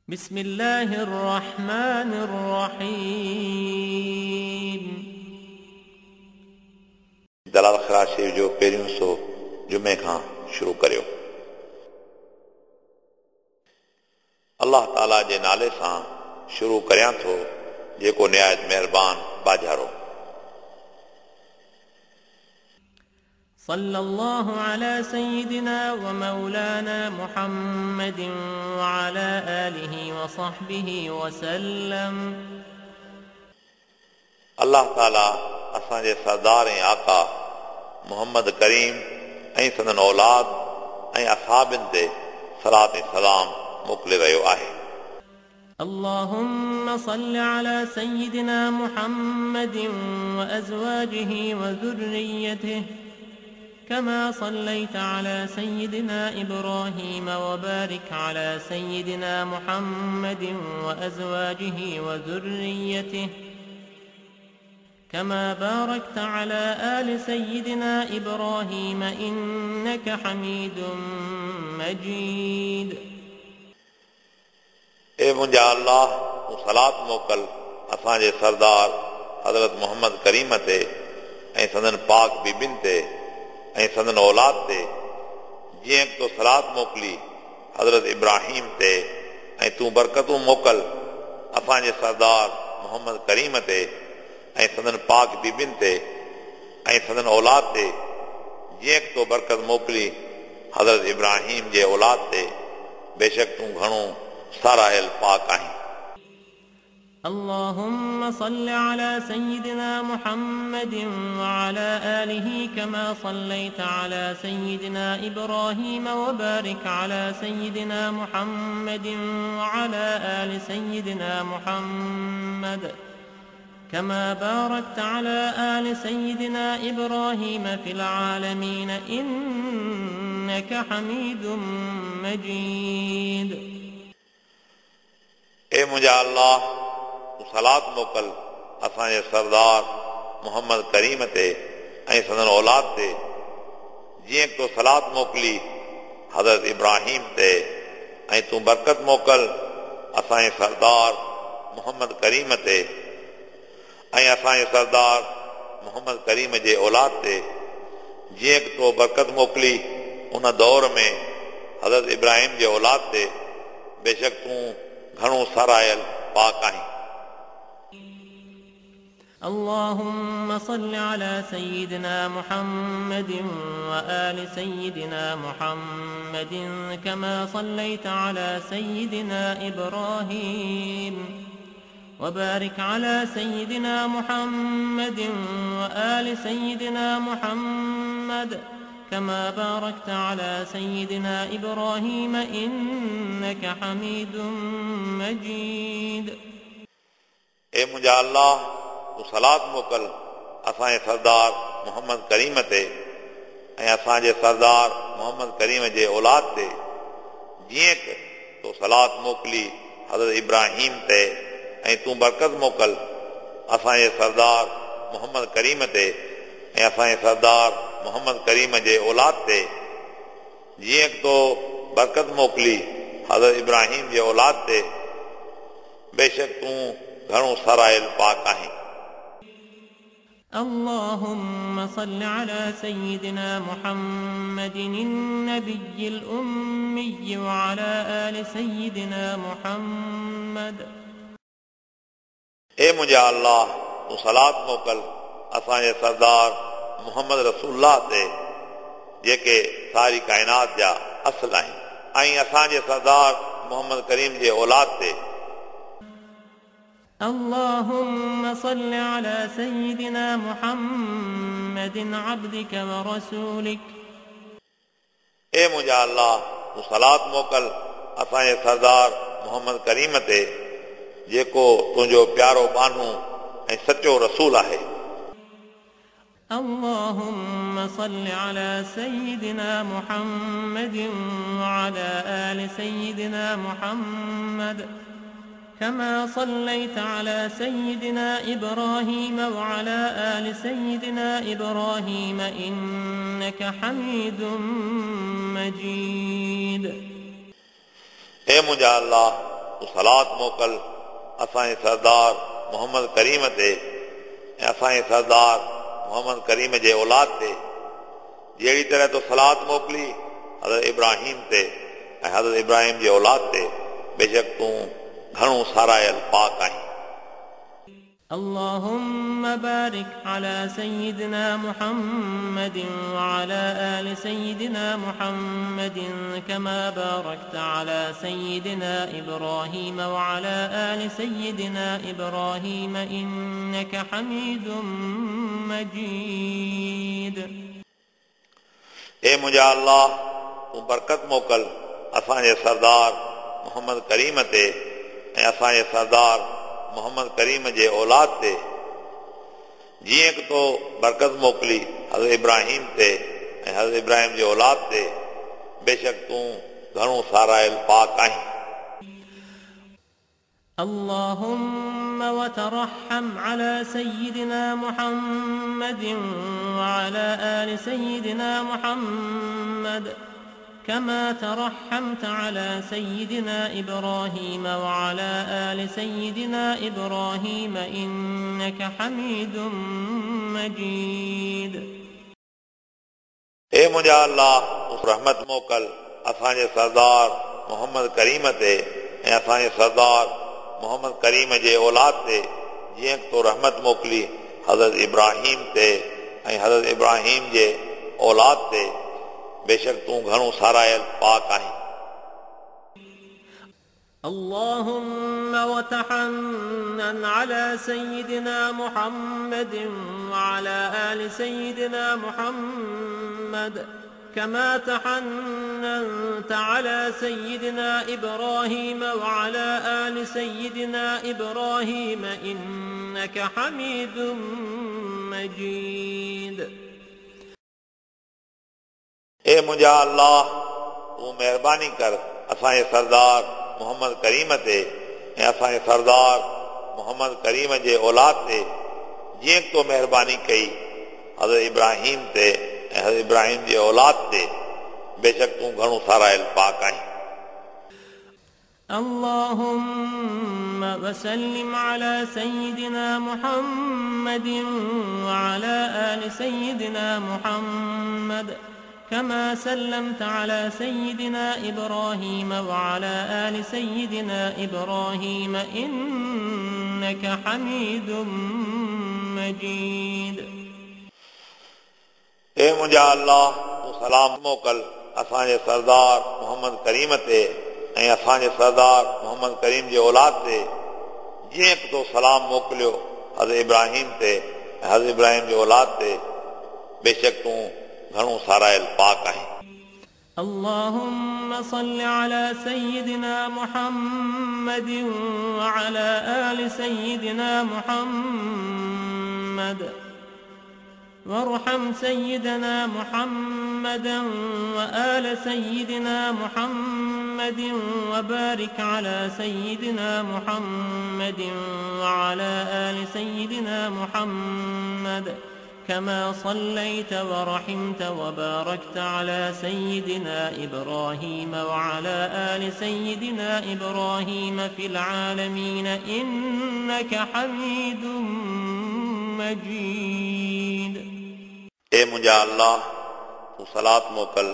بسم الله الرحمن الرحيم. दलाल ख़िरात शरीफ़ जो पहिरियों हिसो जुमे खां शुरू करियो। अल्लाह ताला जे नाले सां शुरू करियां थो जेको निहायत महिरबान बाजारो। صلى الله على سيدنا ومولانا محمد وعلى آله وصحبه وسلم. अल्लाह ताला असांजे सरदार ऐं आका मोहम्मद करीम ऐं संदन औलाद ऐं असाबिन ते सलात ऐं सलाम मोकिले रहियो आहे। اللهم صل على سيدنا محمد وأزواجه وذريته كما صليت على سيدنا إبراهيم وبارك على سيدنا محمد وأزواجه وذريته كما باركت على آل سيدنا إبراهيم إنك حميد مجيد. ए मुंहिंजा अल्लाह, तूं सलात मोकल असांजे सरदार हज़रत मोहम्मद करीम ते ऐं संदन पाक बीबिन ते ऐं संदन औलाद ते, जीअं तो सलात मोकिली हज़रत इब्राहिम ते, ऐं तूं बरकतूं मोकल असांजे सरदार मोहम्मद करीम ते ऐं संदन पाक बीबिन ते ऐं संदन औलाद ते, जीअं तो बरकत मोकिली हज़रत इब्राहिम जे औलाद ते, बेशक तूं घणो साराहियल पाक आहीं। اللهم صل على سيدنا محمد وعلى آله كما صليت على سيدنا إبراهيم وبارك على سيدنا محمد وعلى آل سيدنا محمد كما باركت على آل سيدنا إبراهيم في العالمين إنك حميد مجيد. ए मुंहिंजा अल्लाह, तूं सलात मोकल असांजे सरदार मोहम्मद करीम ते ऐं संदन औलाद ते, जीअं तो सलात मोकिली हज़रत इब्राहिम ते, ऐं तूं बरकत मोकल असांजे सरदार मोहम्मद करीम ते ऐं असांजे सरदार मोहम्मद करीम जे औलाद ते, जीअं तो बरकत मोकिली उन दौर में हज़रत इब्राहिम जे औलाद ते, बेशक तूं घणो सरायल पाक आहीं। اللهم صل على سيدنا محمد وآل سيدنا محمد كما صليت على سيدنا إبراهيم وبارك على سيدنا محمد وآل سيدنا محمد كما باركت على سيدنا إبراهيم إنك حميد مجيد. ए मुंहिंजा अल्लाह, तूं सलात मोकल असांजे सरदार मोहम्मद करीम ते ऐं असांजे सरदार मोहम्मद करीम जे औलाद ते, जीअं तो सलात मोकिली हज़रत इब्राहिम ते, ऐं तूं बरकत मोकल असांजे सरदार मोहम्मद करीम ते ऐं असांजे सरदार मोहम्मद करीम जे औलाद ते, जीअं तो बरकत मोकिली हज़रत इब्राहिम जे औलाद ते, बेशक तूं घणो सरायल पाक आहीं। اللهم صل على سيدنا محمد النبي الأمي وعلى آل سيدنا محمد. ए मुंहिंजा अल्लाह, तूं सलात मोकल असांजे सरदार मोहम्मद रसूलुल्लाह ते, जेके सारी काइनात जा असल आहिनि, ऐं असांजे सरदार मोहम्मद करीम जे औलाद ते। اللهم صل على سيدنا محمد عبدك ورسولك. ए मुंहिंजा अल्लाह, तूं सलात मोकल असांजे सरदार मोहम्मद करीम ते, जेको तुंहिंजो प्यारो बानू ऐं सचो रसूल आहे। اللهم صل على سيدنا محمد وعلى آل سيدنا محمد كما صليت على سيدنا إبراهيم وعلى آل سيدنا إبراهيم إنك حميد مجيد. ए मुंहिंजा अल्लाह, तूं सलात मोकिल असांजे सरदार मोहम्मद करीम ते ऐं असांजे सरदार मोहम्मद करीम जे औलाद ते। जहिड़ी तरह तो सलात मोकिली हज़रत इब्राहिम ते ऐं हज़रत इब्राहिम जे औलाद ते, बेशक तूं घणो सारायल पाक आहीं। اللهم بارك على سيدنا محمد وعلى آل سيدنا محمد كما باركت على سيدنا إبراهيم وعلى آل سيدنا إبراهيم إنك حميد مجيد. ए मुंहिंजा अल्लाह, तूं बरकत मोकिल असांजे सरदार मोहम्मद करीम ते ऐं असांजे सरदार मोहम्मद करीम जे औलाद ते, जीअं की तो बरकत मोकिली हज़रत इब्राहिम ते ऐं हज़रत इब्राहिम जे औलाद ते, बेशक तूं घणो सारायल पाक आहीं। اللهم وترحم على سيدنا محمد وعلى آل سيدنا محمد كما ترحمت على سيدنا إبراهيم وعلى آل سيدنا إبراهيم إنك حميد مجيد. ए मुंहिंजा अल्लाह, तूं रहमत मोकिल असांजे सरदार मोहम्मद करीम ते ऐं असांजे सरदार मोहम्मद करीम जे औलाद ते, जीअं तो रहमत मोकिली हज़रत इब्राहिम ते ऐं हज़रत इब्राहिम जे औलाद ते, बेशक तूं घणो सारायल पाक आहीं। اللهم وتحنن على سيدنا محمد وعلى آل سيدنا محمد كما تحننت على سيدنا إبراهيم وعلى آل سيدنا إبراهيم إنك حميد مجيد. ए मुंहिंजा अल्लाह, तूं महिरबानी कर असांजे सरदार मोहम्मद करीम ते ऐं असांजे सरदार मोहम्मद करीम जे औलाद ते, जीअं तो महिरबानी कई हज़रत इब्राहिम ते ऐं हज़रत इब्राहिम जे औलाद ते, बेशक तूं घणो सारायल पाक आहीं। اللهم وسلم على سيدنا محمد وعلى آل سيدنا محمد كما سلمت على سيدنا إبراهيم وعلى آل سيدنا إبراهيم إنك حميد مجيد. ए मुंहिंजा अल्लाह, तूं सलाम मोकिल असांजे सरदार मोहम्मद करीम ते ऐं असांजे सरदार मोहम्मद करीम जे औलाद ते, जीअं तो सलाम मोकिलियो हज़रत इब्राहिम ते ऐं हज़रत इब्राहिम जे औलाद ते, बेशक तूं घणो सारायल पाक आहीं। اللهم صل على سيدنا محمد وعلى آل سيدنا محمد وارحم سيدنا محمدا وآل سيدنا محمد وبارك على سيدنا محمد وعلى آل سيدنا محمد كما صليت ورحمت وباركت على سيدنا إبراهيم وعلى آل سيدنا إبراهيم في العالمين إنك حميد مجيد. ए मुंहिंजा अल्लाह, तूं सलात मोकिल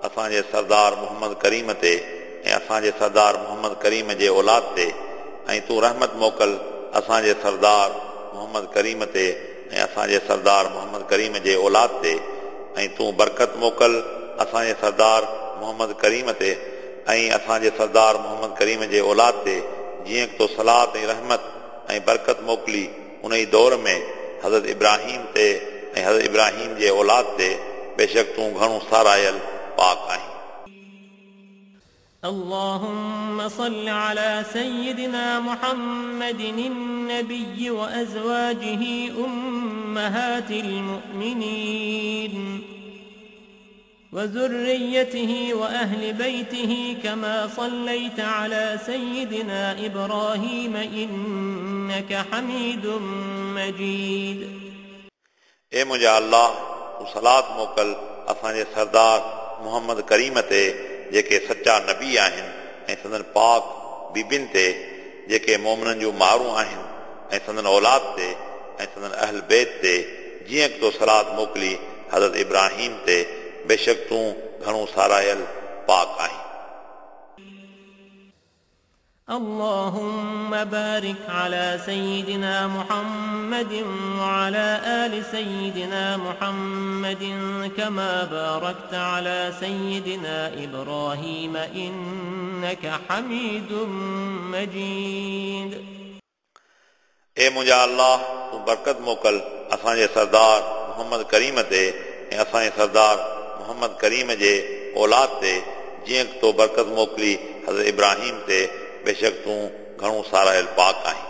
असांजे सरदार मोहम्मद करीम ते ऐं असांजे सरदार मोहम्मद करीम जे औलाद ते, ऐं तूं रहमत मोकिल असांजे सरदार मोहम्मद करीम ते ऐं असांजे सरदार मोहम्मद करीम जे औलाद ते, ऐं तूं बरकत मोकिल असांजे सरदार मोहम्मद करीम ते ऐं असांजे सरदार मोहम्मद करीम जे औलाद ते, जीअं तो सलात ऐं रहमत ऐं बरकत मोकिली उन ई दौर में हज़रत इब्राहिम ते ऐं हज़रत इब्राहिम जे औलाद ते, बेशक तूं घणो सारायल पाक आहीं। اللهم صل على سيدنا محمد النبي وأزواجه أمهات المؤمنين وذريته وأهل بيته كما صليت على سيدنا إبراهيم إنك حميد مجيد. ए मुंहिंजा अल्लाह, तूं सलात मोकिल असांजे सरदार मोहम्मद करीम ते, जेके सच्चा नबी आहिनि ऐं संदन पाक बीबियुनि ते जेके मोमिननि जूं मारूं आहिनि ऐं संदन औलाद ते ऐं संदन अहल बैत ते जीअं तो सलात मोकिली हज़रत इब्राहिम ते बेशक तूं घणो सारायल पाक आहीं। اللهم بارك على سيدنا محمد وعلى آل سيدنا محمد كما باركت على سيدنا إبراهيم إنك حميد مجيد. ए मुंहिंजा अल्लाह, तूं बरकत मोकिल असांजे सरदार मोहम्मद करीम ते ऐं असांजे सरदार मोहम्मद करीम जे औलाद ते जीअं तो बरकत मोकिली हज़रत इब्राहिम ते बेशक तूं घणो सारायल पाक आहीं।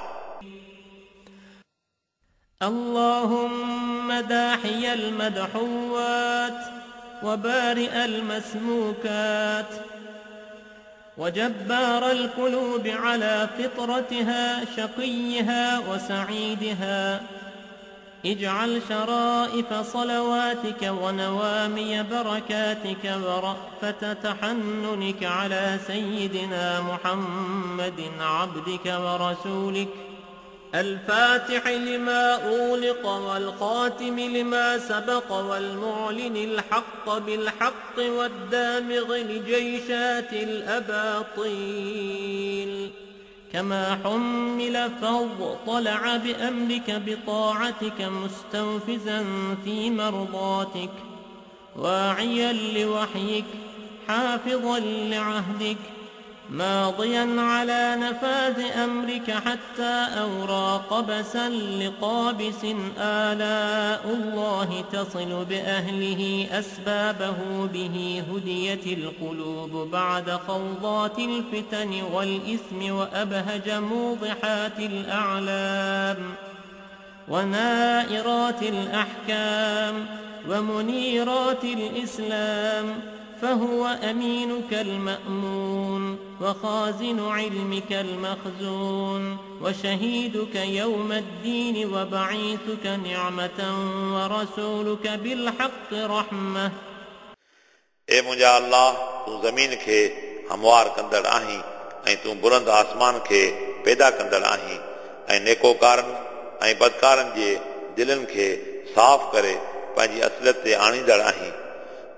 اللهم داحي المدحوات وبارئ المسموكات وجبار القلوب على فطرتها شقيها وسعيدها اجعل شرائف صلواتك ونوامي بركاتك ورأفة تحننك على سيدنا محمد عبدك ورسولك الفاتح لما أغلق والخاتم لما سبق والمعلن الحق بالحق والدامغ لجيشات الأباطيل كما حمل فاضطلع بأمرك بطاعتك مستوفزا في مرضاتك واعيا لوحيك حافظا لعهدك ماضيا على نفاذ أمرك حتى أورى قبسا لقابس آلاء الله تصل بأهله أسبابه به هديت القلوب بعد خوضات الفتن والإثم وأبهج موضحات الأعلام ونائرات الأحكام ومنيرات الإسلام فهو أمينك المأمون وخازن علمك المخزون وشهيدك يوم الدين وبعيثك نعمة ورسولك بالحق رحمة. ए मुंहिंजा अल्लाह, तूं ज़मीन खे हमवार कंदड़ आहीं ऐं तूं बुलंद आसमान खे पैदा कंदड़ आहीं ऐं नेकोकारनि ऐं बदकारनि जे दिलनि खे साफ़ करे पंहिंजी असलियत ते आणींदड़ आहीं।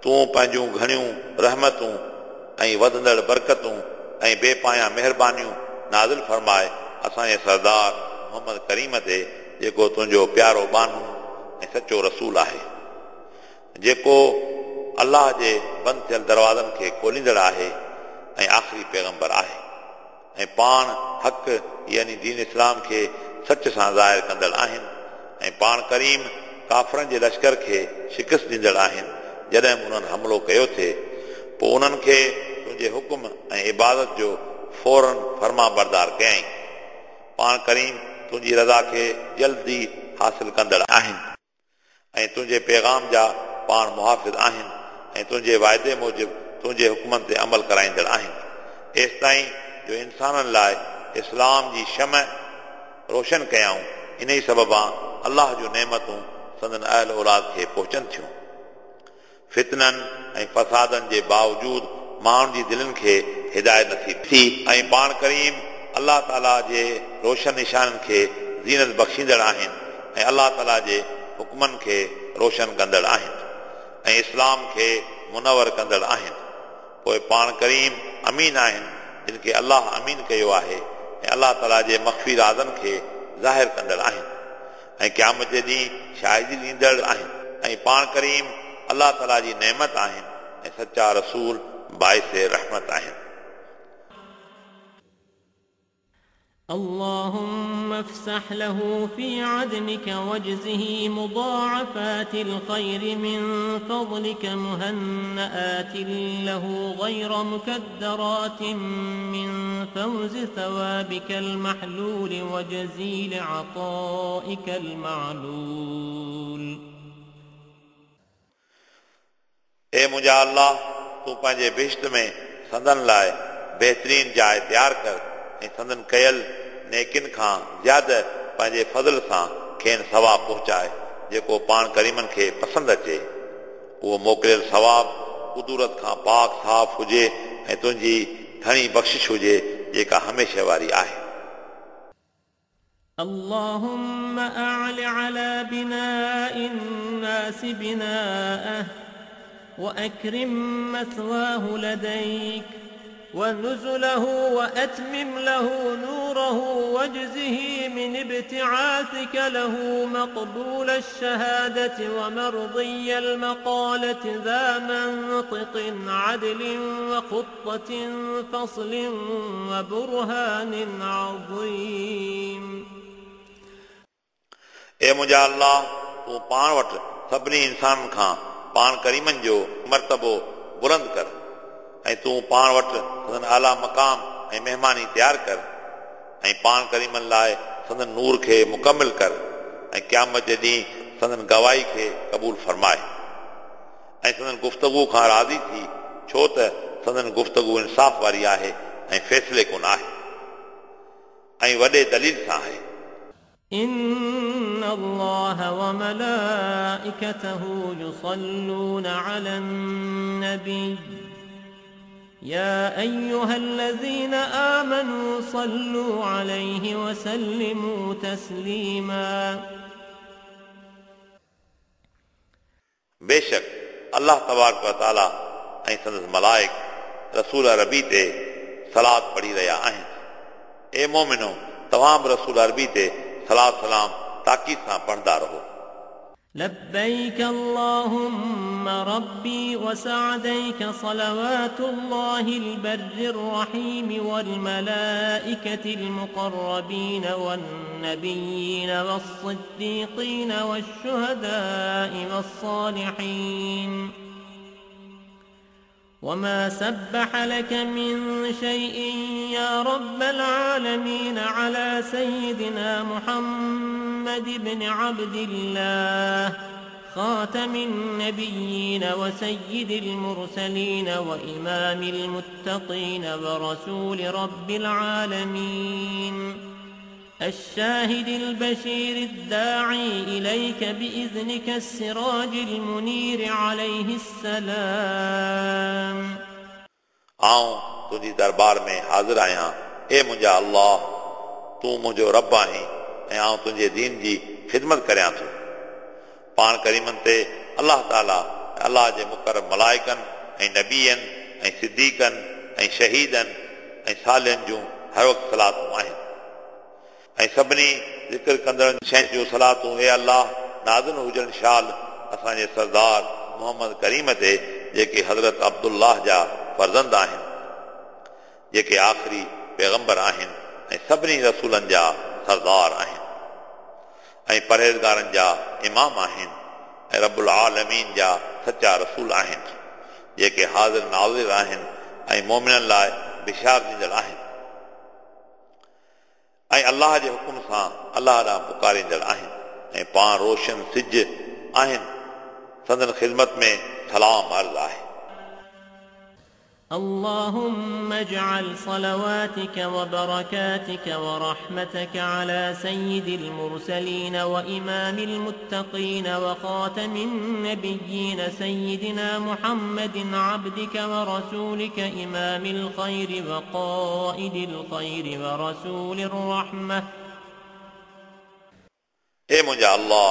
तूं पंहिंजूं घणियूं रहमतूं ऐं वधंदड़ बरकतूं ऐं बेपाया महिरबानियूं नाज़िल फरमाए असांजे सरदार मोहम्मद करीम ते जेको तुंहिंजो प्यारो बानू ऐं सचो रसूल आहे, जेको अल्लाह जे बंदि थियल दरवाज़नि खे खोलींदड़ आहे ऐं आख़िरी पैगंबर आहे ऐं पाण हक़ यानी दीन इस्लाम खे सच सां ज़ाहिर कंदड़ आहिनि ऐं पाण करीम काफ़रनि जे लश्कर खे शिकस्त ॾींदड़ आहिनि। जॾहिं उन्हनि हमलो कयो थिए पोइ उन्हनि खे तुंहिंजे हुकुम ऐं इबादत जो फ़ौरन फर्मा बरदार कयईं। पाण करीम तुंहिंजी रज़ा खे जल्दी हासिल कंदड़ आहिनि ऐं तुंहिंजे पैगाम जा पाण मुहाफ़िज़ आहिनि ऐं तुंहिंजे वाइदे मूजिबि तुंहिंजे हुकुमनि ते अमल कराईंदड़ आहिनि, एसि ताईं जो इंसाननि लाइ इस्लाम जी शम रोशन कयाऊं। इन ई सबबा अल्लाह जूं नेमतूं संदन अहल औलाद खे पहुचनि थियूं। फितननि ऐं फसादनि जे बावजूद माण्हुनि जी दिलनि खे हिदायत नथी थी ऐं पाण करीम अल्लाह ताला जे रोशन निशाननि खे ज़ीनत बख़्शींदड़ आहिनि ऐं अल्लाह ताला जे हुकुमनि खे रोशन कंदड़ आहिनि ऐं इस्लाम खे मुनवर कंदड़ आहिनि। पोइ पाण करीम अमीन आहिनि जिन खे अल्लाह अमीन कयो आहे ऐं अल्लाह ताला जे मख़फ़ी राज़नि खे ज़ाहिर कंदड़ आहिनि ऐं क़यामत जे ॾींहुं शाहिदी ॾींदड़ आहिनि ऐं पाण करीम अल्लाह ताला जी नेमत आहिनि ऐं सच्चा रसूल बाइस रहमत आहिनि। اللهم افسح له في عدنك واجزه مضاعفات الخير من فضلك مهنآت له غير مكدرات من فوز ثوابك المحلول وجزيل عطائك المعلول. ए मुंहिंजा अल्लाह, तूं पंहिंजे बिश्त में संदन लाइ बहितरीन जाइ तयारु कर ऐं संदन कयल नेकिन खां ज़्यादा पंहिंजे फज़ल सां खेनि सवाब पहुचाए जेको पाण करीमनि खे पसंदि अचे। उहो मोकिलियल सवाब कुदूरत खां पाक साफ़ हुजे ऐं तुंहिंजी घणी बख़्शिश हुजे जेका हमेशह वारी आहे। اللهم أعل على بناء الناس بناءه وأكرم مثواه لديك ونزله وأتمم له نوره واجزه من ابتعاثك له مقبول الشهادة ومرضي المقالة ذا منطق عدل وخطة فصل وبرهان عظيم. ए मुंहिंजा अल्लाह, तूं पाण वटि सभिनी इंसाननि खां पाण करीमनि जो मर्तबो बुलंद कर ऐं तूं पाण वटि संदन आला मक़ाम ऐं महिमानी तयारु कर ऐं पाण करीमनि लाइ संदन नूर खे मुकमिल कर ऐं क़यामत जे ॾींहुं संदन गवाही खे क़बूल फरमाए ऐं संदन गुफ़्तगू खां राज़ी थी, छो त संदन गुफ़्तगू इंसाफ़ वारी आहे ऐं फ़ैसिले कोन आहे ऐं वॾे दलील सां आहे। إن الله وملائكته يصلون على النبي يا أيها الذين آمنوا صلوا عليه وسلموا تسليما. बेशक अल्लाह तबारक व तआला ऐं संदसि मलाइक रसूल अरबी ते सलात पढ़ी रहिया आहिनि। ए मोमिनो, तव्हां बि रसूल अरबी ते सलात सलाम ताकीद सां पढ़ंदा रहो। لبيك اللهم ربي وسعديك صلوات الله البر الرحيم والملائكة المقربين والنبيين والصديقين والشهداء والصالحين وما سبح لك من شيء يا رب العالمين على سيدنا محمد بن عبد الله خاتم النبيين وسيد المرسلين وإمام المتقين ورسول رب العالمين الشاهد البشير الداعي إليك بإذنك السراج المنير عليه السلام. आऊं तुंहिंजी दरबार में हाज़िर आहियां। ए मुंहिंजा अल्लाह, तूं मुंहिंजो रब आहीं ऐं आऊं तुंहिंजे दीन जी ख़िदमत करियां थो। पाण करीमनि ते अल्लाह ताला अल्लाह जे मुकरम मलाइकनि ऐं नबियनि ऐं सिद्दीकनि ऐं शहीदनि ऐं सालियुनि जूं हर वक़्तु सलातूं आहिनि ऐं सभिनी ज़िक्र कंदड़नि शयुनि जूं सलातूं ए अल्लाह नाज़िल हुजनि शाल असांजे सरदार मोहम्मद करीम ते, जेके हज़रत अब्दुल्लाह जा फर्ज़ंद आहिनि, जेके आख़िरी पैगंबर आहिनि ऐं सभिनी रसूलनि जा सरदार आहिनि ऐं परहेज़गारनि जा इमाम आहिनि ऐं रबुल आलमीन जा सच्चा रसूल आहिनि, जेके हाज़िर नाज़िर आहिनि ऐं मोमिननि लाइ बिशार ॾींदड़ आहिनि ऐं अल्लाह जे हुकुम सां अल्लाह ॾांहुं पुकारींदड़ आहिनि ऐं पाण रोशन सिज आहिनि, संदन ख़िदमत में सलाम अर्ज़ आहे। اللهم اجعل صلواتك وبركاتك ورحمتك على سيد المرسلين وإمام المتقين وخاتم النبيين سيدنا محمد عبدك ورسولك إمام الخير وقائد الخير ورسول الرحمة. ए मुंहिंजा अल्लाह,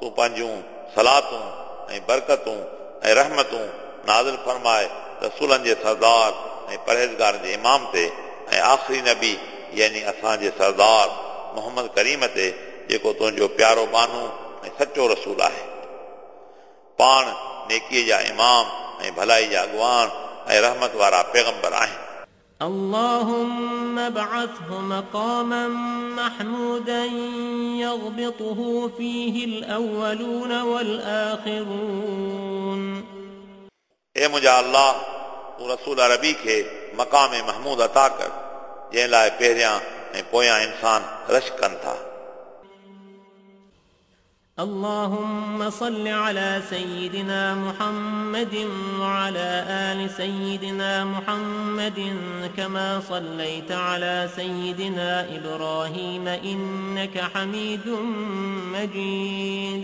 तूं पंहिंजूं सलातूं ऐं बरकतूं ऐं रहमतूं नाज़िल फरमाए रसूलनि जे सरदार ऐं परहेज़गारनि जे इमाम ते ऐं आख़िरी नबी यानी असांजे सरदार मोहम्मद करीम ते, जेको तुंहिंजो प्यारो बानू ऐं सचो रसूल आहे। पाण नेकीअ जा इमाम ऐं भलाई जा अॻवान ऐं रहमत वारा पैगंबर आहिनि। اللهم ابعثه مقاما محمودا يغبطه فيه الأولون والآخرون. ए मुंहिंजा अल्लाह, तूं रसूल अरबी खे मक़ाम महमूद अता कर, जंहिं लाइ पहिरियां ऐं पोयां इंसान रश कनि था। اللهم صل على سيدنا محمد وعلى آل سيدنا محمد كما صليت على سيدنا إبراهيم إنك حميد مجيد.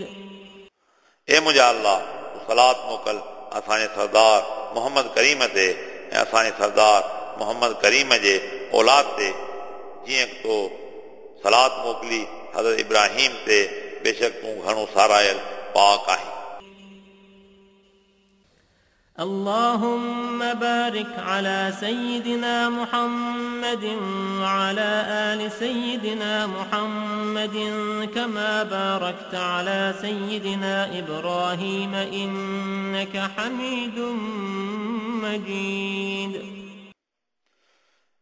ए मुंहिंजा अल्लाह, तूं सलात मोकल असांजे सरदार मोहम्मद करीम ते ऐं असांजे सरदार मोहम्मद करीम जे औलाद ते, जीअं तो सलात मोकिली हज़रत इब्राहिम ते, बेशक तूं घणो सारायल पाक आहीं। اللهم بارك على سيدنا محمد وعلى آل سيدنا محمد كما باركت على سيدنا إبراهيم إنك حميد مجيد.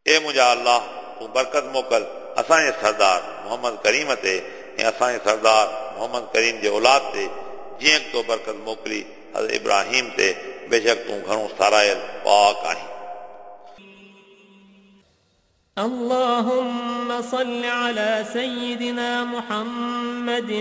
ए मुंहिंजा अल्लाह, तूं बरकत मोकिल असांजे सरदार मोहम्मद करीम ते ऐं असांजे सरदार मोहम्मद करीम जे औलाद ते, जीअं तो बरकत मोकिली हज़रत इब्राहिम ते, बेशक तूं घणो सारायल पाक आहीं। اللهم صل على سيدنا محمد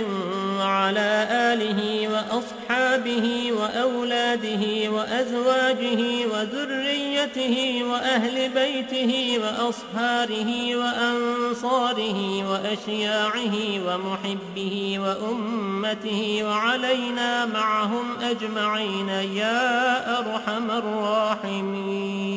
وعلى آله وأصحابه وأولاده وأزواجه وذريته وأهل بيته وأصهاره وأنصاره وأشياعه ومحبه وأمته وعلينا معهم أجمعين يا أرحم الراحمين.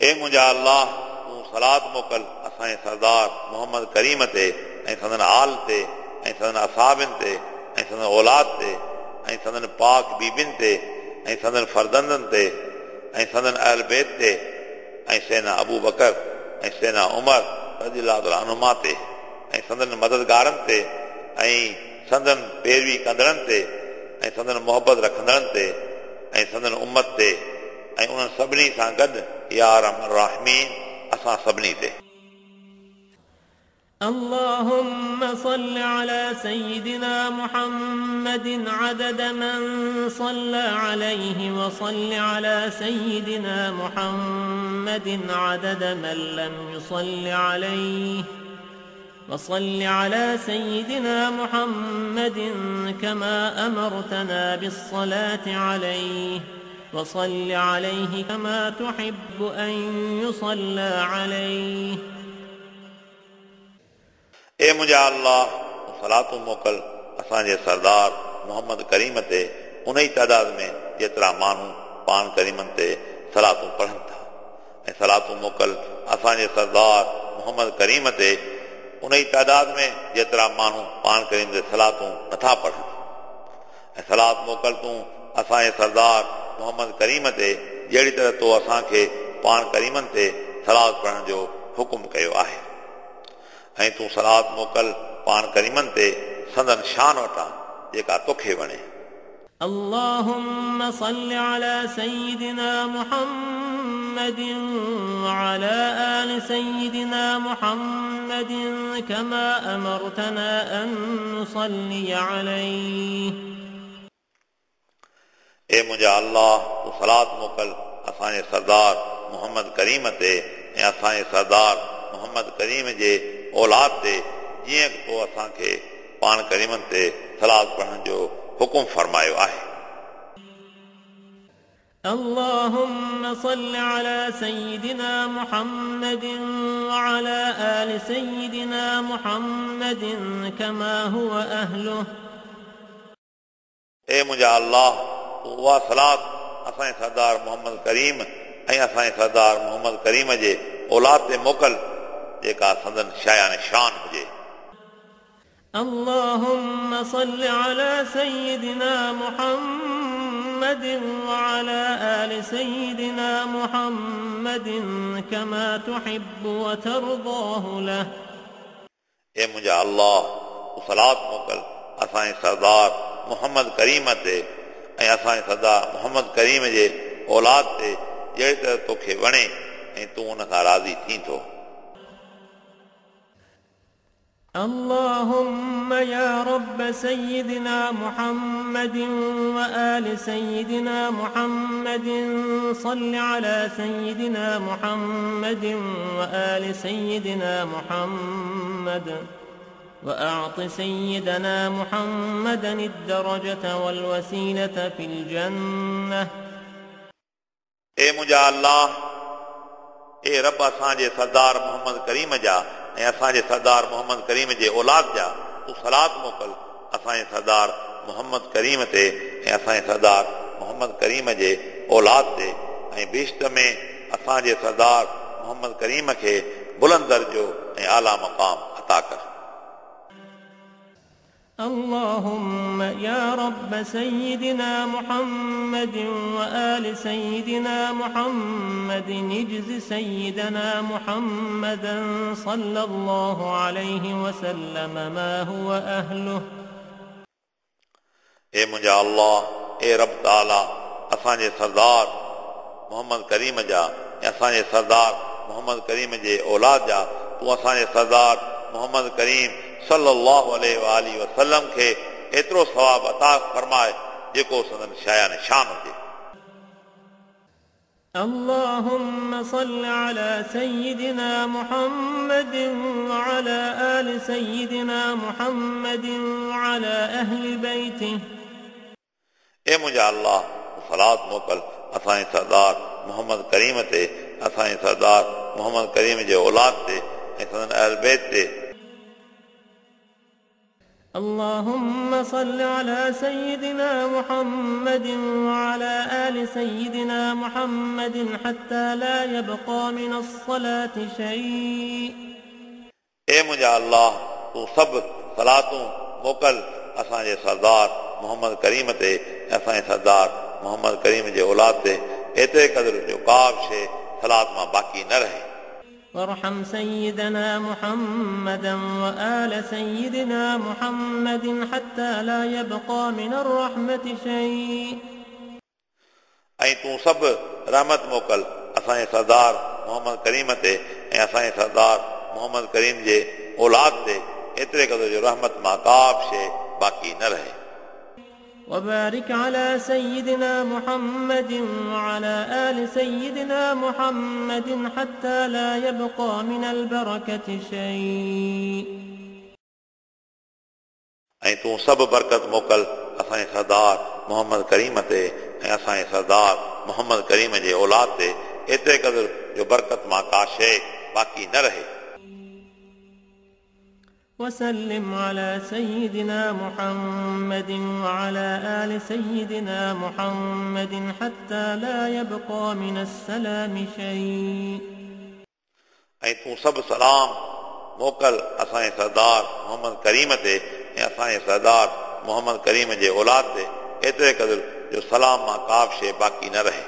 ए मुंहिंजा अल्लाह, तूं सलात मोकिल असांजे सरदार मोहम्मद करीम ते ऐं संदन आल ते ऐं संदन असाबिन ते ऐं संदन औलाद ते ऐं संदन पाक बीबिन ते ऐं संदन फर्दंदनि ते ऐं संदन अहल बैत ते ऐं सैना अबू बकर ऐं सैना उमर रज़ी अल्लाह तआला अन्हुमा ते ऐं संदन मददगारनि ते ऐं संदन पैरवी कंदड़नि ते ऐं संदन मोहबत रखंदड़नि ते ऐं संदन उम्मत ते ऐं उन्हनि सभिनी सां गॾु या अरहम अर्राहिमीन असां सभिनी ते। اللهم صل على سيدنا محمد عدد من صلى عليه وصل على سيدنا محمد عدد من لم يصل عليه وصل على سيدنا محمد كما أمرتنا بالصلاة عليه وصل عليه كما تحب أن يصلى عليه. ए मुंहिंजा अल्लाह, तूं सलातूं मोकिल असांजे सरदार मोहम्मद करीम ते उन ई तादाद में जेतिरा माण्हू पाण करीमनि ते सलातूं पढ़नि था, ऐं सलातूं मोकिल असांजे सरदार मोहम्मद करीम ते उन ई तादाद में जेतिरा माण्हू पाण करीम ते सलातूं नथा पढ़नि, ऐं सलात मोकिल तूं असांजे सरदार मोहम्मद करीम ते जहिड़ी तरह तो असांखे पाण करीमनि ते सलात पढ़ण जो हुकुम कयो आहे, ऐं तूं सलात मोकिल पाण करीमनि ते संदन शान वटां जेका तोखे वणे। اللهم صل على سيدنا محمد وعلى آل سيدنا محمد كما أمرتنا أن نصلي عليه. ए मुंहिंजा अल्लाह, तूं सलात मोकिल असांजे सरदार मोहम्मद करीम ते ऐं असांजे सरदार मोहम्मद करीम जे औलाद ते, जीअं तो असांखे पाण करीमनि ते सलात पढ़ण जो हुकुम फरमायो आहे। اللهم صل على سيدنا محمد وعلى آل سيدنا محمد كما هو أهله. ए मुंहिंजा अल्लाह, तूं उहा सलात असांजे सरदार मोहम्मद करीम ऐं असांजे सरदार मोहम्मद करीम जे औलाद ते मोकिल जेका संदन शायान शान हुजे। اللهم صل على سيدنا محمد وعلى آل سيدنا محمد كما تحب وترضاه له. ए मुंहिंजा अल्लाह, तूं सलात मोकिल असांजे सरदार मोहम्मद करीम ते ऐं असांजे सरदार मोहम्मद करीम जे औलाद ते जहिड़ी तरह तोखे वणे ऐं तूं उन खां राज़ी थी थो। اللهم يا رب سيدنا محمد وآل سيدنا محمد صل على سيدنا محمد وآل سيدنا محمد وأعط سيدنا محمدا الدرجة والوسيلة في الجنة. ए मुंहिंजा अल्लाह, ए रब असांजे सरदार मोहम्मद करीम जा ऐं असांजे सरदार मोहम्मद करीम जे औलाद जा तूं सलात मोकिल असांजे सरदार मोहम्मद करीम ते ऐं असांजे सरदार मोहम्मद करीम जे औलाद ते ऐं बहिश्त में असांजे सरदार मोहम्मद करीम खे बुलंद दर्जो ऐं आला मक़ाम अता कर। اللهم يا رب سيدنا محمد وآل سيدنا محمد اجز سيدنا محمدا صلى الله عليه وسلم ما هو أهله। ए मुंहिंजा अल्लाह, ए रब ताला, असांजे सरदार मोहम्मद करीम जा ऐं असांजे सरदार मोहम्मद करीम जे औलाद जा तूं असांजे सरदार मोहम्मद करीम सल्लल्लाहु अलैहि वसल्लम खे एतिरो सवाब अता फरमाए जेको संदन शायान शान हुजे। اللهم صل على سيدنا محمد وعلى آل سيدنا محمد وعلى أهل بيته। ए मुंहिंजा अल्लाह, सलात मोकल असांजे सरदार मोहम्मद करीम ते, असांजे सरदार मोहम्मद करीम जे औलाद ते ऐं संदन अहल बैत ते। اللهم صل على سيدنا محمد وعلى آل سيدنا محمد حتى لا يبقى من الصلاة شيء। ए मुंहिंजा अल्लाह, तूं सभु सलातूं मोकल असांजे सरदार मोहम्मद करीम ते, असांजे सरदार मोहम्मद करीम जे औलाद ते, एतिरे क़दुरु जो का बि शइ सलात मां बाक़ी न रहे। وارحم سيدنا محمدا وآل سيدنا محمد حتى لا يبقى من الرحمة شيء। ऐं तूं सभु रहमत मोकल असांजे सरदार मोहम्मद करीम ते ऐं असांजे सरदार मोहम्मद करीम जे औलाद ते, एतिरे क़दुरु जो रहमत मां का बि शइ बाक़ी न रहे। وبارك على سيدنا محمد وعلى آل سيدنا محمد حتى لا يبقى من البركة شيء. ऐं तूं सभु बरकत मोकल असांजे सरदार मोहम्मद करीम ते ऐं असांजे सरदार मोहम्मद करीम जे औलाद ते, एतिरे क़दुरु जो बरकत मां का शइ बाक़ी न रहे। وسلم على سيدنا محمد وعلى آل سيدنا محمد حتى لا يبقى من السلام شيء. ऐं तूं सभु सलाम मोकल असांजे सरदार मोहम्मद करीम ते ऐं असांजे सरदार मोहम्मद करीम जे औलाद ते, एतिरे क़दुरु जो सलाम मां का बि शइ बाक़ी न रहे।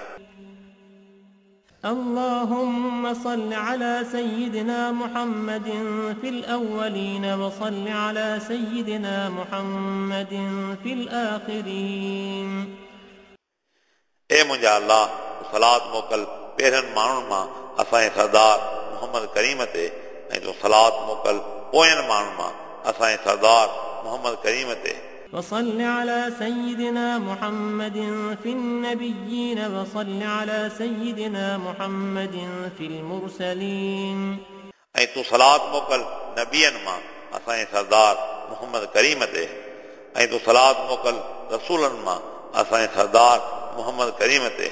اللهم صل على سيدنا محمد في الأولين وصل على سيدنا محمد في الآخرين. ए मुंहिंजा अल्लाह, सलात मोकल पहिरियनि माण्हुनि मां असांजे सरदार मोहम्मद करीम ते ऐं तूं सलात मोकल पोयनि माण्हुनि मां असांजे सरदार मोहम्मद करीम ते। وصل على سيدنا محمد في النبيين وصل على سيدنا محمد في المرسلين. ऐं तूं सलात मोकल नबियनि मां असांजे सरदार मोहम्मद करीम ते ऐं तूं सलात मोकल रसूलनि मां असांजे सरदार मोहम्मद करीम ते।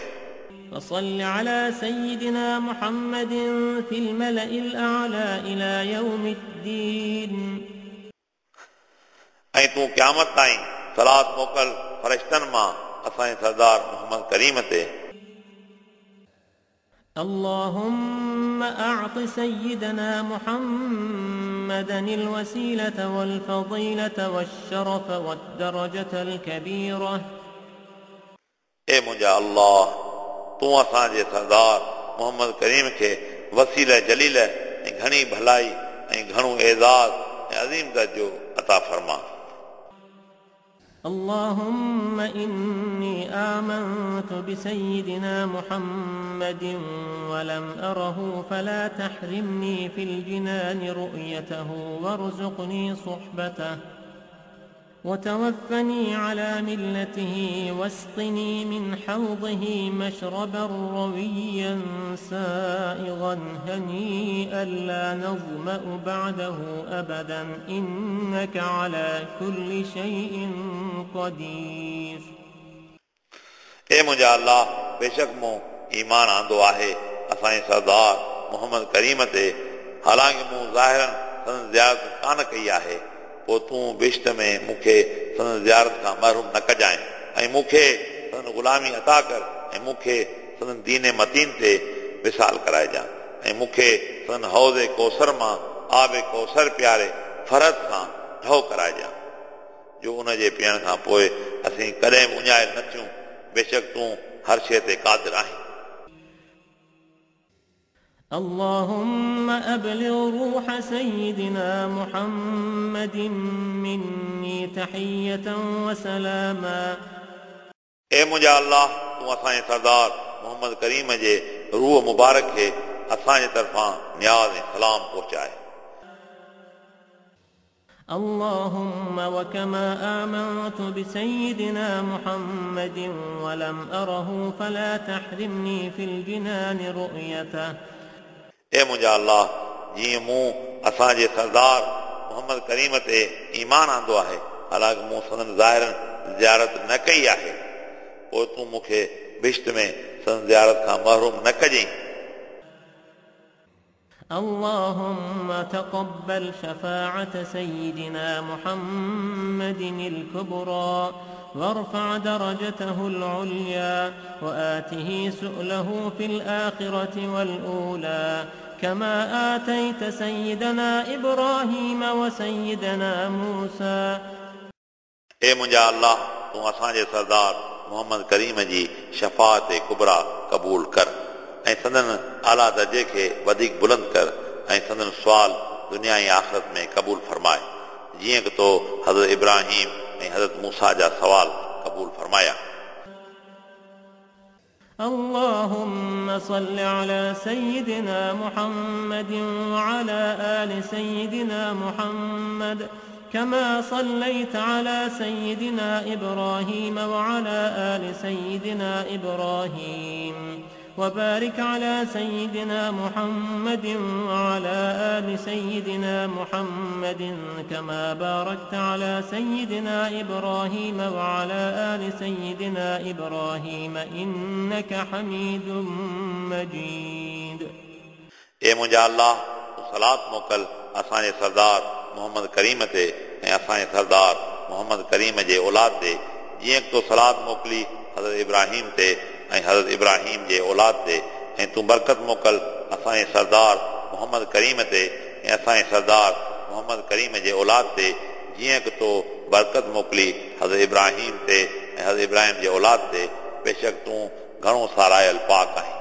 وصل على سيدنا محمد في الملأ الأعلى إلى يوم الدين. ऐं तूं क़यामत ताईं सलात मोकल फरिश्तनि मां असांजे सरदार मोहम्मद करीम ते। اللهم أعط سيدنا محمدا الوسيلة والفضيلة والشرف والدرجة الكبيرة. ए मुंहिंजा अल्लाह, तूं असांजे सरदार मोहम्मद करीम खे वसीला जलील ऐं घणी भलाई ऐं घणो एज़ाज़ ऐं अज़ीम दर्जो अता फरमा। اللهم إني آمنت بسيدنا محمد ولم أره فلا تحرمني في الجنان رؤيته وارزقني صحبته وتوفني على ملته واسقني من حوضه مشربا رويا سائغا هنيئا لا نظمأ بعده أبدا إنك على كل شيء قدير. ए मुंहिंजा अल्लाह, बेशक मूं ईमान आंदो आहे असांजे सरदार मोहम्मद करीम ते, हालांकि मूं ज़ाहिरन संदसि ज़ियारत कान कई आहे, पोइ तूं बिश्त में मूंखे संदसि ज़ियारत खां महरूम न कजांइ ऐं मूंखे संदसि ग़ुलामी अता कर ऐं मूंखे संदन दीन मतीन ते विसाल कराइजां ऐं मूंखे संदन हौज़ कौसर मां आब कौसर प्यारे फरत सां ढो कराइजां जो उन जे पीअण खां पोइ असीं कॾहिं बि उञायल न थियूं। बेशक तूं हर शइ ते क़ादिर आहीं। اللهم أبلغ روح سيدنا محمد مني تحية وسلاما. ए मुंहिंजा अल्लाह, तूं असांजे सरदार मोहम्मद करीम जे रूह मुबारक खे असांजे तरफ़ां नियाज़ ऐं सलाम पहुचाए। اللهم وكما آمنت بسيدنا محمد ولم أره فلا تحرمني في الجنان رؤيته. ए मुंहिंजा अल्लाह, जीअं मूं असांजे सरदार मोहम्मद करीम ते ईमान आंदो आहे, हालांकि मूं संदन ज़ाहिरनि ज़ियारत न कई आहे, पोइ तूं मूंखे बिश्त में संदन ज़ियारत खां महरूम न कजई। اللهم تقبل شفاعة سيدنا محمد الكبرى وارفع درجته العليا وآته سؤله في الآخرة والأولى كما آتيت سيدنا إبراهيم وسيدنا موسى. ए मुंहिंजा अल्लाह, तूं असांजे सरदार मोहम्मद करीम जी शफ़ाअत कुबरा क़बूल कर ऐं संदन आला दर्जे खे वधीक बुलंद कर ऐं संदन सुवाल दुनिया ऐं आख़िरत में क़बूल फरमाए, जीअं की तो हज़रत इब्राहिम ऐं हज़रत मूसा जा सवाल क़बूल फरमाया। اللهم صل على سيدنا محمد وعلى آل سيدنا محمد كما صليت على سيدنا إبراهيم وعلى آل سيدنا إبراهيم وبارك على سيدنا محمد وعلى آل سيدنا محمد كما باركت على سيدنا إبراهيم وعلى آل سيدنا إبراهيم إنك حميد مجيد. ए मुंहिंजा अल्लाह, तूं सलात मोकल असांजे सरदार मोहम्मद करीम ते ऐं असांजे सरदार मोहम्मद करीम जे औलाद ते, जीअं तो सलात मोकिली हज़रत इब्राहिम ते ऐं हज़रत इब्राहिम जे औलाद ते, ऐं तूं बरकत मोकल असांजे सरदार मोहम्मद करीम ते ऐं असांजे सरदार मोहम्मद करीम जे औलाद ते, जीअं की तो बरकत मोकिली हज़रत इब्राहिम ते ऐं हज़रत इब्राहिम जे औलाद ते। बेशक तूं घणो सारायल पाक आहीं।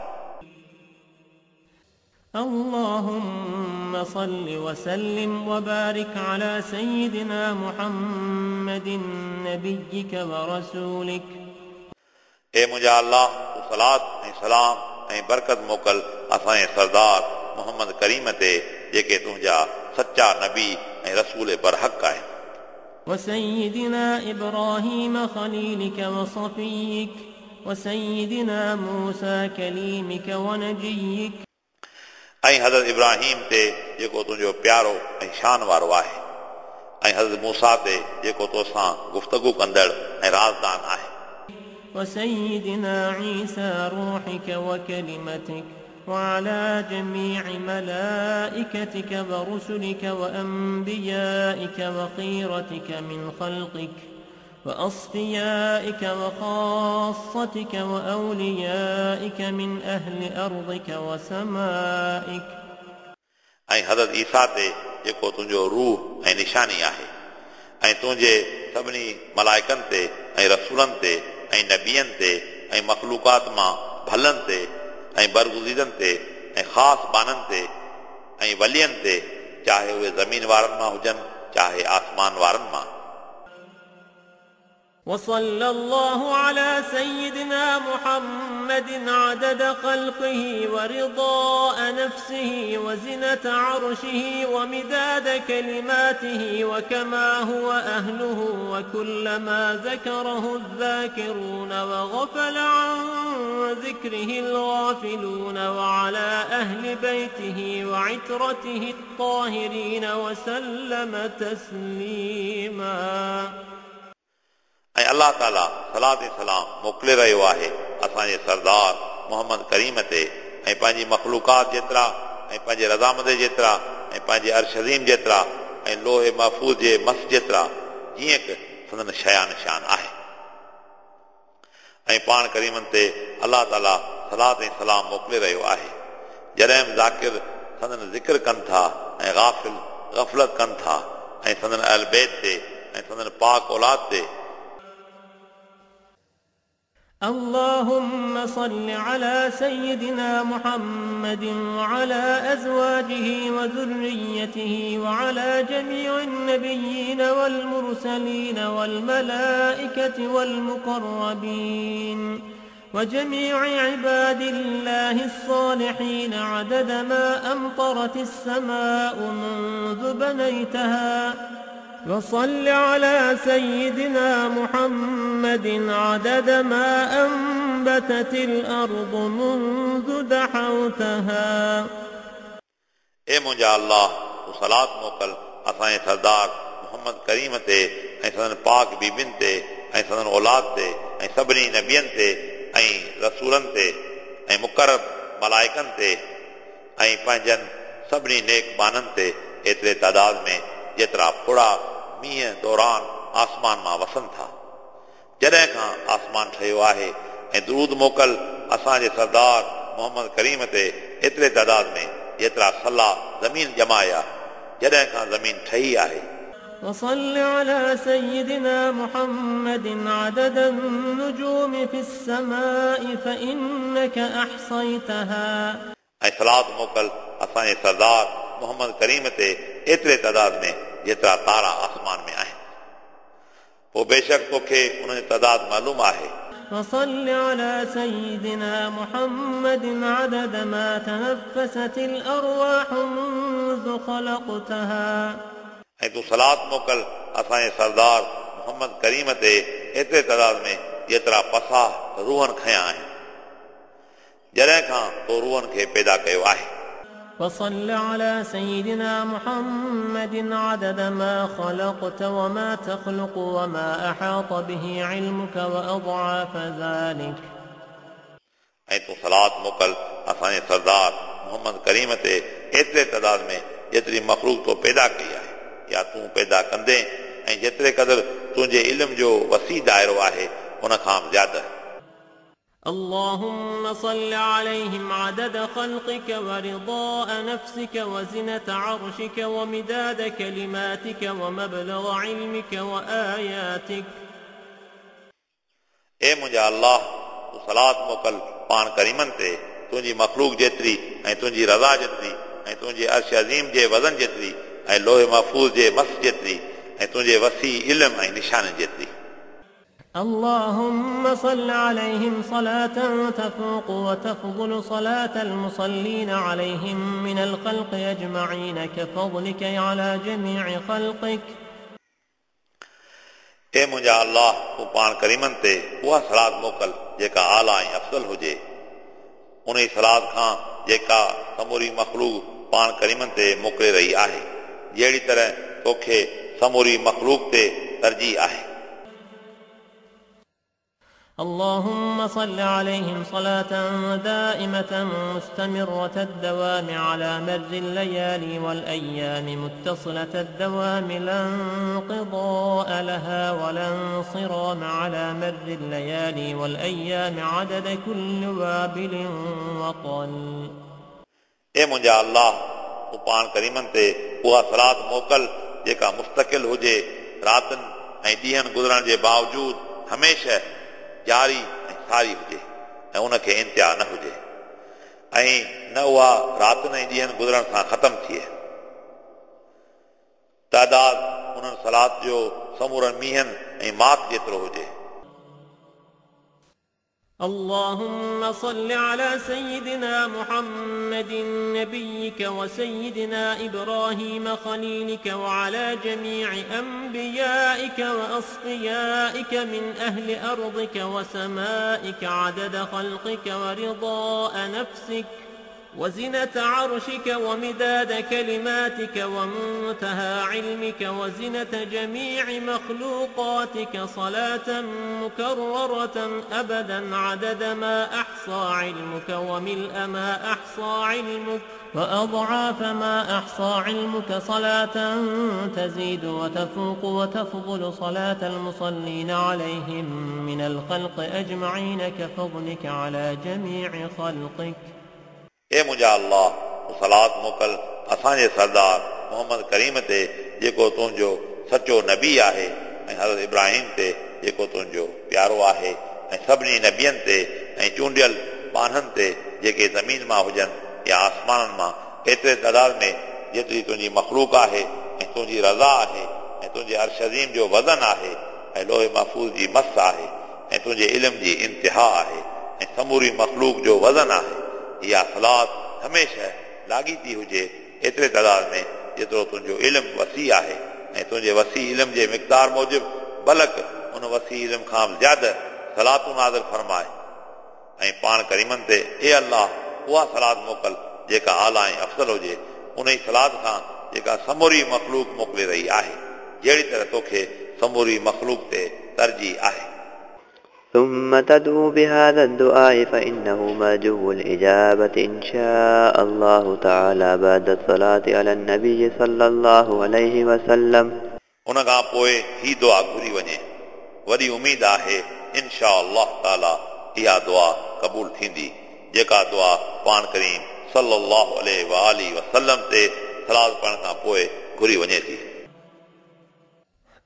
اللهم صل وسلم وبارك على سيدنا محمد نبيك ورسولك. ए मुंहिंजा अल्लाह, तूं सलात ऐं सलाम ऐं बरकत मोकल असांजे सरदार मोहम्मद करीम ते, जेके तुंहिंजा सच्चा नबी ऐं रसूल बरहक आहिनि। وسيدنا إبراهيم خليلك وصفيك وسيدنا موسى كليمك ونجيك. ऐं हज़रत इब्राहिम ते जेको तुंहिंजो प्यारो ऐं शान वारो आहे, ऐं हज़रत मूसा ते जेको तोसां गुफ्तगू कंदड़ ऐं राज़दान आहे। وسيدنا عيسى روحك وكلمتك وعلى جميع ملائكتك ورسلك وأنبيائك وخيرتك من خلقك وأصفيائك وخاصتك وأوليائك من أهل أرضك وسمائك. ऐं हज़रत ईसा ते जेको तुंहिंजो रूह ऐं निशानी आहे, ऐं तुंहिंजे सभिनी मलाइकनि ते ऐं रसूलनि ते ऐं नबियनि ते ऐं मख़लूक़ात मां भलनि ते ऐं बरगुज़ीदनि ते ऐं ख़ासि ॿाननि ते ऐं वलियनि ते, चाहे उहे ज़मीन वारनि मां हुजनि चाहे आसमान वारनि मां। وصلى الله على سيدنا محمد عدد خلقه ورضاء نفسه وزنة عرشه ومداد كلماته وكما هو أهله وكلما ذكره الذاكرون وغفل عن ذكره الغافلون وعلى أهل بيته وعترته الطاهرين وسلم تسليما. ऐं अलाह ताला सलात ऐं सलाम मोकिले रहियो आहे असांजे सरदार मोहम्मद करीम ते ऐं पंहिंजी मख़लूक़ात जेतिरा ऐं पंहिंजे रज़ामंद जेतिरा ऐं पंहिंजे अर्श अज़ीम जेतिरा ऐं लोहे महफ़ूज़ जे मस जेतिरा, जीअं की संदन शया निशान आहे। ऐं पाण करीमनि ते अलाह ताला सलात ऐं सलाम मोकिले रहियो आहे। जॾहिं बि ज़ाकिर संदन ज़िक्र कनि था ऐं गाफ़िल गफ़लत कनि था ऐं संदन अहल बैत ते ऐं संदन पाक औलाद ते। اللهم صل على سيدنا محمد وعلى أزواجه وذريته وعلى جميع النبيين والمرسلين والملائكة والمقربين وجميع عباد الله الصالحين عدد ما أمطرت السماء منذ بنيتها. وصل على سيدنا محمد عدد ما أنبتت الأرض منذ دحوتها. ए मुंहिंजा अल्लाह, तूं सलात मोकिल असांजे सरदार मोहम्मद करीम ते ऐं संदन पाक बीबियुनि ते ऐं संदन औलाद ते ऐं सभिनी नबियनि ते ऐं रसूलनि ते ऐं मुक़रब मलाइकनि ते ऐं पंहिंजनि सभिनी नेक बाननि ते एतिरे तादाद में जेतिरा फोड़ा मींहं दौरान आसमान मां वसनि था। जॾहिं खां आसमान ठहियो आहे ऐं दरूद मोकिल असांजे सरदार मोहम्मद करीम ते एतिरे तादाद में जेतिरा सला ज़मीन ॼमाया जॾहिं खां ज़मीन ठही आहे। وصل على سيدنا محمد عدد النجوم في السماء فإنك أحصيتها. ऐं सलात मोकिल असांजे सरदार मोहम्मद करीम ते एतिरे तादाद में जेतिरा तारा आसमान में आहिनि, पोइ बेशक तोखे उन्हनि जो तादाद मालूम आहे। وصل على سيدنا محمد عدد ما تنفست الأرواح منذ خلقتها. ऐं तूं सलात मोकिल असांजे सरदार मोहम्मद करीम ते एतिरे तादाद में जेतिरा पसाह रूहनि खयां आहिनि, जॾहिं खां तो रूहनि खे पैदा कयो आहे। وصل على سيدنا محمد عدد ما خلقت وما تخلق وما أحاط به علمك وأضعاف ذلك. ऐं तूं सलात मोकिल असांजे सरदार मोहम्मद करीम ते एतिरे तादाद में जेतिरी मख़लूक तो पैदा कई आहे या तूं पैदा कंदे ऐं जेतिरे क़दुरु तुंहिंजे इल्म जो वसी दायरो आहे उन खां बि ज़्यादा। اللهم صل عليهم عدد خلقك ورضاء نفسك وزنة عرشك ومداد كلماتك ومبلغ علمك وآياتك. ए मुंहिंजा अल्लाह, तूं सलात मोकिल पाण करीमनि ते तुंहिंजी मख़लूक जेतिरी ऐं तुंहिंजी रज़ा जेतिरी ऐं तुंहिंजे अर्श अज़ीम जे वज़न जेतिरी ऐं लोहे महफ़ूज़ जे मस जेतिरी ऐं तुंहिंजे वसी इल्म ऐं निशान जेतिरी। اللهم صل عليهم صلاة تفوق وتفضل صلاة المصلين عليهم من الخلق أجمعين كفضلك على جميع خلقك. ए मुंहिंजा अल्लाह, तूं पाण करीमनि ते उहा सलात मोकिल जेका आला ऐं अफ़ज़ल हुजे, उन सलात खां जेका समूरी मख़लूक पाण करीमनि ते मोकिले रही आहे, जहिड़ी तरह तोखे समूरी मख़लूक ते तरजीह आहे। اللهم صل عليهم صلاة دائمة مستمرة الدوام على مر الليالي والأيام متصلة الدوام لا انقضاء لها ولا انصرام على مر الليالي والأيام عدد كل وابل وطل. ए मुंहिंजा अल्लाह, तूं पाण करीमनि ते उहा सलात मोकिल जेका मुस्तकिल हुजे, रातिनि ऐं ॾींहनि गुज़रण जे बावजूद हमेशह जारी ऐं सारी हुजे ऐं उनखे इंतिहा न हुजे ऐं न उहा रातिनि ऐं ॾींहनि गुज़रण सां ख़तमु थिए। तादाद उन्हनि सलात जो समूरनि मींहनि ऐं माक जेतिरो हुजे। اللهم صل على سيدنا محمد نبيك وسيدنا إبراهيم خليلك وعلى جميع أنبيائك وأصفيائك من أهل أرضك وسمائك عدد خلقك ورضاء نفسك. وزنة عرشك ومداد كلماتك ومنتهى علمك وزنة جميع مخلوقاتك صلاة مكررة أبدا عدد ما أحصى علمك وملء ما أحصى علمك وأضعاف ما أحصى علمك صلاة تزيد وتفوق وتفضل صلاة المصلين عليهم من الخلق أجمعين كفضلك على جميع خلقك. ए मुंहिंजा अल्लाह, तूं सलात मोकिल असांजे सरदार मोहम्मद करीम ते जेको तुंहिंजो सचो नबी आहे, ऐं हज़रत इब्राहिम ते जेको तुंहिंजो प्यारो आहे, ऐं सभिनी नबियनि ते ऐं चूंडियल ॿान्हनि ते जेके ज़मीन मां हुजनि या आसमाननि मां, एतिरे तादाद में जेतिरी तुंहिंजी मख़लूक आहे ऐं तुंहिंजी रज़ा आहे ऐं तुंहिंजे अर्श अज़ीम जो वज़न आहे ऐं लोहे महफ़ूज़ जी मस आहे ऐं तुंहिंजे इल्म जी इंतिहा आहे ऐं समूरी मख़लूक जो वज़न आहे। इहा सलात हमेशह लागीती हुजे एतिरे तादाद में जेतिरो तुंहिंजो इल्मु वसी आहे ऐं तुंहिंजे वसी इल्म जे मिक़दार मूजिबि बलक उन वसी इल्म खां बि ज़्यादा सलातूं नाज़िल फरमाए ऐं पाण करीमनि ते ए अल्लाह उहा सलात मोकिल जेका आला ऐं अफ़ज़ल हुजे, उन ई सलात खां जेका समूरी मख़लूक मोकिले रही आहे, जहिड़ी तरह तोखे समूरी मख़लूक ते तरजीह आहे। ثم تدعو بهذا الدعاء فإنه مرجو الإجابة إن شاء الله تعالى بعد الصلاة على النبي صلى الله عليه وسلم. उन खां पोइ ही दुआ घुरी वञे, वॾी उमेद आहे इनशा अल्लाह ताला इहा दुआ क़बूल थींदी, जेका दुआ पाण करीम सल्लल्लाहु अलैहि वसल्लम ते सलात पढ़ण खां पोइ घुरी वञे थी।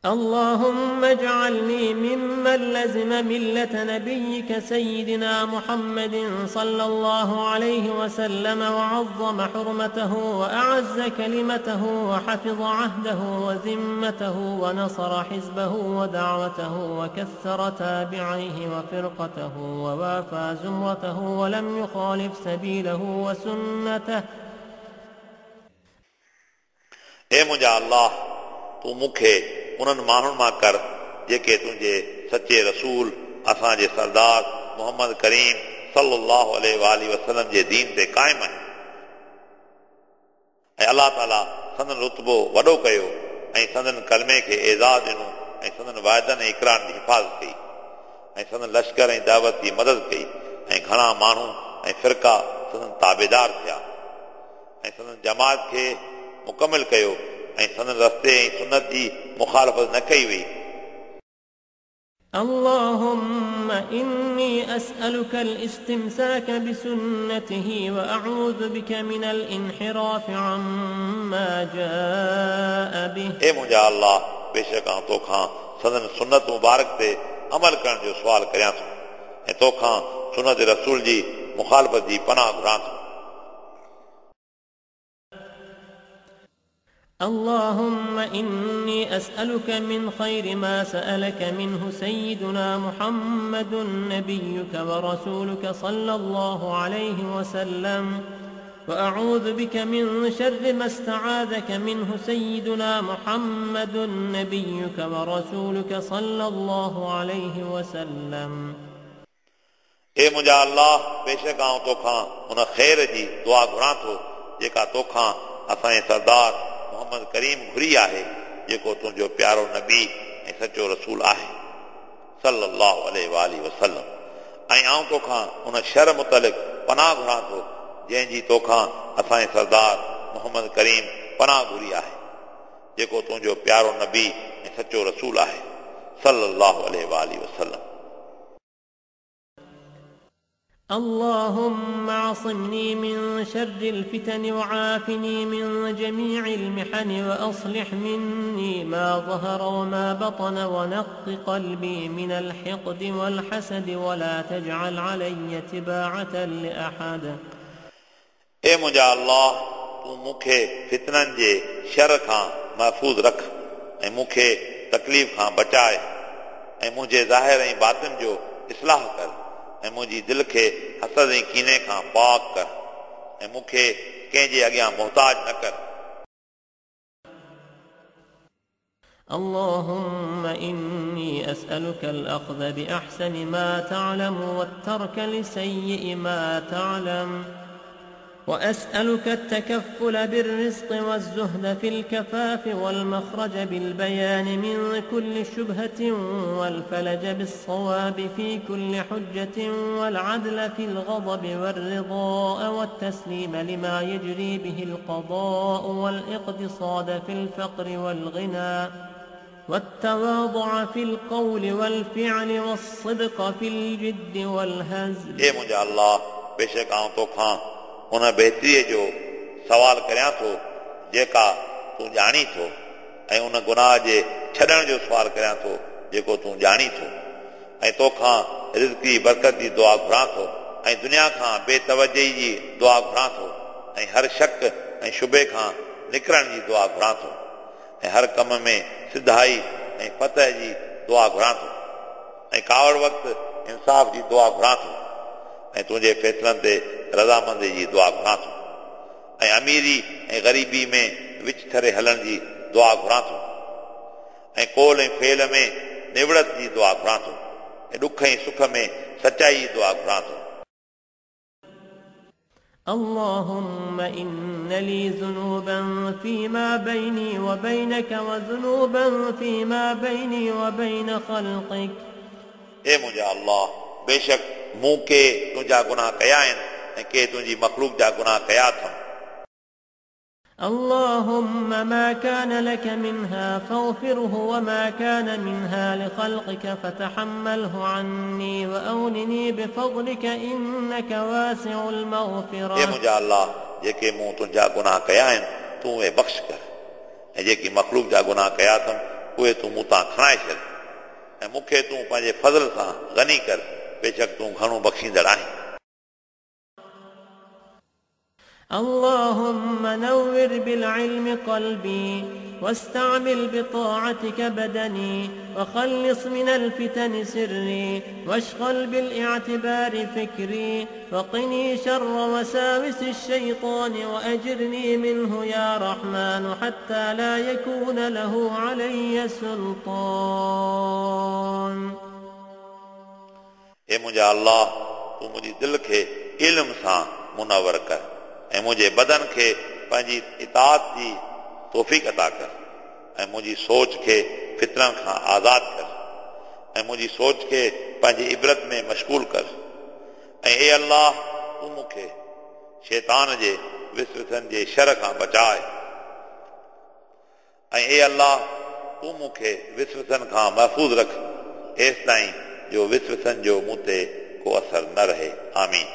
اللهم اجعلني ممن لزم ملة نبيك سيدنا محمد صلى الله عليه وسلم وعظم حرمته وأعز كلمته وحفظ عهده وذمته ونصر حزبه ودعوته وكثر تابعيه وفرقته ووافى زمرته ولم يخالف سبيله وسنته. ए मुंहिंजा अल्लाह, तूं मूंखे उन्हनि माण्हुनि मां कर जेके तुंहिंजे सचे रसूल असांजे सरदार मोहम्मद करीम सल्लल्लाहु अलैहि वसल्लम जे दीन ते क़ाइम आहिनि ऐं अल्लाह ताला संदन रुतबो वॾो कयो ऐं संदन कलमे खे एज़ाज़ ॾिनो ऐं संदन वाइदनि ऐं इकरारनि जी हिफाज़त कई ऐं संदन लश्कर ऐं दावत जी मदद कई ऐं घणा माण्हू ऐं फ़िरका संदन ताबेदार थिया ऐं संदन जमात खे मुकमिल कयो ऐं संदन रस्ते ऐं सुन्नत जी मुखालफ़त न कई वई। اللهم إني أسألك الاستمساك بسنته وأعوذ بك من الانحراف عما جاء به. ए मुंहिंजा अल्लाह, बेशक आउं तोखां संदन सुन्नत मुबारक ते अमल करण जो सुवाल करियां थो ऐं तोखां सुन्नत रसूल जी मुखालफ़त जी पनाह घुरां थो। اللهم إني أسألك من خير ما سألك منه سيدنا محمد نبيك ورسولك صلى الله عليه وسلم وأعوذ بك من شر ما استعاذك منه سيدنا محمد نبيك ورسولك صلى الله عليه وسلم. ए मुंहिंजा अल्लाह, बेशक आउं तोखां उन ख़ैर जी दुआ घुरां थो जेका तोखां असांजे सरदार मोहम्मद करीम घुरी आहे, जेको तुंहिंजो प्यारो नबी ऐं सचो रसूल आहे सल्लल्लाहु अलैहि वसल्लम, ऐं आउं तोखां उन शर मुतलिक़ पनाह घुरां थो जंहिंजी तोखां असांजे सरदार मोहम्मद करीम पनाह घुरी आहे, जेको तुंहिंजो प्यारो नबी ऐं सचो रसूल आहे सल्लल्लाहु अलैहि वसल्लम। اللهم عصمني من شر الفتن وعافني من جميع المحن وأصلح مني ما ظهر وما بطن ونق قلبي من الحقد والحسد ولا تجعل علي تباعة لأحد. ए मुंहिंजा अल्लाह, तूं मूंखे फितननि जे शर खां महफ़ूज़ रख ऐं मूंखे तकलीफ़ खां बचाए ऐं मुंहिंजे ज़ाहिर ऐं बातिन जो इस्लाह कर ऐं मुंहिंजी दिलि खे हसद ऐं कीने खां पाक कर ऐं मूंखे कंहिंजे अॻियां मोहताज न कर। اللهم إني أسألك الأخذ بأحسن ما تعلم والترك لسيء ما تعلم. وأسألك التكفل بالرزق والزهد في الكفاف والمخرج بالبيان من كل شبهة والفلج بالصواب في كل حجة والعدل في الغضب والرضاء والتسليم لما يجري به القضاء والاقتصاد في الفقر والغنى والتواضع في القول والفعل والصدق في الجد والهزل. ए मुंहिंजा अल्लाह, बेशक आउं तोखां उन बहितरीअ जो सवाल करियां थो जेका तूं ॼाणी थो, ऐं उन गुनाह जे छॾण जो सुवाल करियां थो जेको तूं ॼाणी थो, ऐं तोखां रिज़्क जी बरकत जी दुआ घुरां थो, ऐं दुनिया खां बेतवजही जी दुआ घुरां थो, ऐं हर शक ऐं शुबे खां निकिरण जी दुआ घुरां थो, ऐं हर कम में सिधाई ऐं फतह जी दुआ घुरां थो, ऐं कावड़ वक़्तु इंसाफ़ जी दुआ घुरां थो, ऐं तुंहिंजे फ़ैसिलनि ते रज़ामंदी जी दुआ घुरां थो, ऐं अमीरी ऐं ग़रीबी में विच थरे हलण जी दुआ घुरां थो, ऐं कोल ऐं फेल में निवड़त जी दुआ घुरां थो, ऐं ॾुख ऐं सुख में सचाई जी दुआ घुरां थो। اللهم إن لي ذنوبا فيما بيني وبينك وذنوبا فيما بيني وبين خلقك. ए मुंहिंजा अल्लाह, बेशक मूं के तुंहिंजा गुनाह कया आहिनि ऐं के तुंहिंजी मख़लूक जा गुनाह कया अथमि। اللهم ما كان لك منها فاغفره وما كان منها لخلقك فتحمله عني وأغنني بفضلك إنك واسع المغفرة. ए मुंहिंजा अल्लाह, जेके मूं तुंहिंजा गुनाह कया आहिनि तूं उहे बख़्श कर, ऐं जेकी मख़लूक जा गुनाह कया अथमि उहे तूं मूं तां खणाए छॾ, ऐं मूंखे तूं पंहिंजे फज़ल सां गनी कर, बेशक तूं घणो बख़्शींदड़ आहीं। اللهم نور بالعلم قلبي واستعمل بطاعتك بدني وخلص من الفتن سري واشغل بالاعتبار فكري وقني شر وساوس الشيطان وأجرني منه يا رحمن حتى لا يكون له علي سلطان. ए मुंहिंजा अल्लाह, तूं मुंहिंजी दिलि खे इल्म सां मुनवर कर, ऐं मुंहिंजे बदन खे पंहिंजी इताअत जी तौफ़ीक़ अता कर, ऐं मुंहिंजी सोच खे फितरनि खां आज़ाद कर, ऐं मुंहिंजी सोच खे पंहिंजी इबरत में मशगूल कर, ऐं ए अल्लाह, तूं मूंखे शैतान जे विसविसनि जे शर खां बचाए, ऐं ए अल्लाह, तूं मूंखे विसविसनि खां महफ़ूज़ रख एसि ताईं जो विसविसनि जो मूं ते को असर न रहे। आमीन।